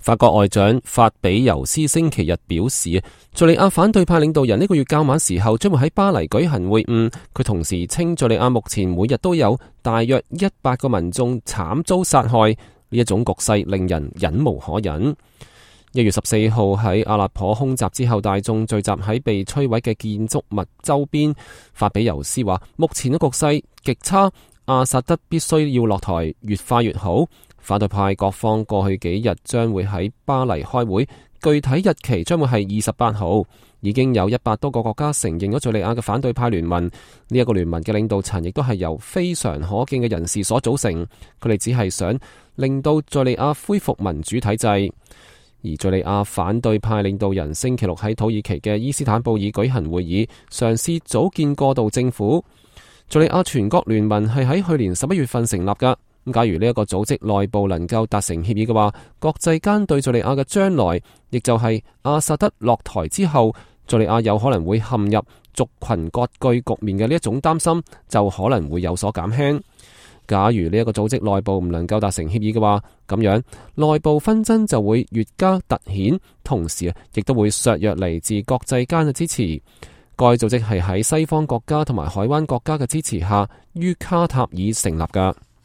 法國外長法比尤斯星期日表示，敘利亞反對派領導人呢個月較晚時候將會喺巴黎舉行會晤。佢同時稱，敘利亞目前每日都有大約100個民眾慘遭殺害，呢一種局勢令人忍無可忍。1月14號喺阿勒頗空襲之後，大眾聚集喺被摧毀嘅建築物周邊。法比尤斯話，目前嘅局勢極差，阿薩德必須要落台，越快越好。反對派各方過去幾日將會喺巴黎開會，具體日期將會係28號。已經有100多個國家承認咗敘利亞嘅反對派聯盟。呢一個聯盟嘅領導層亦都係由非常可敬嘅人士所組成。佢哋只係想令到敘利亞恢復民主體制。而敘利亞反對派領導人星期六喺土耳其嘅伊斯坦布爾舉行會議，嘗試組建過渡政府。敘利亞全國聯盟係喺去年11月份成立㗎。咁假如呢一個組織內部能夠達成協議嘅話，國際間對敘利亞嘅將來，亦就係阿薩德落台之後，敘利亞有可能會陷入族群割據局面嘅呢一種擔心，就可能會有所減輕。假如呢一個組織內部唔能夠達成協議嘅話，咁樣內部紛爭就會越加突顯，同時亦都會削弱嚟自國際間嘅支持。該組織係喺西方國家同埋海灣國家嘅支持下，於卡塔爾成立㗎。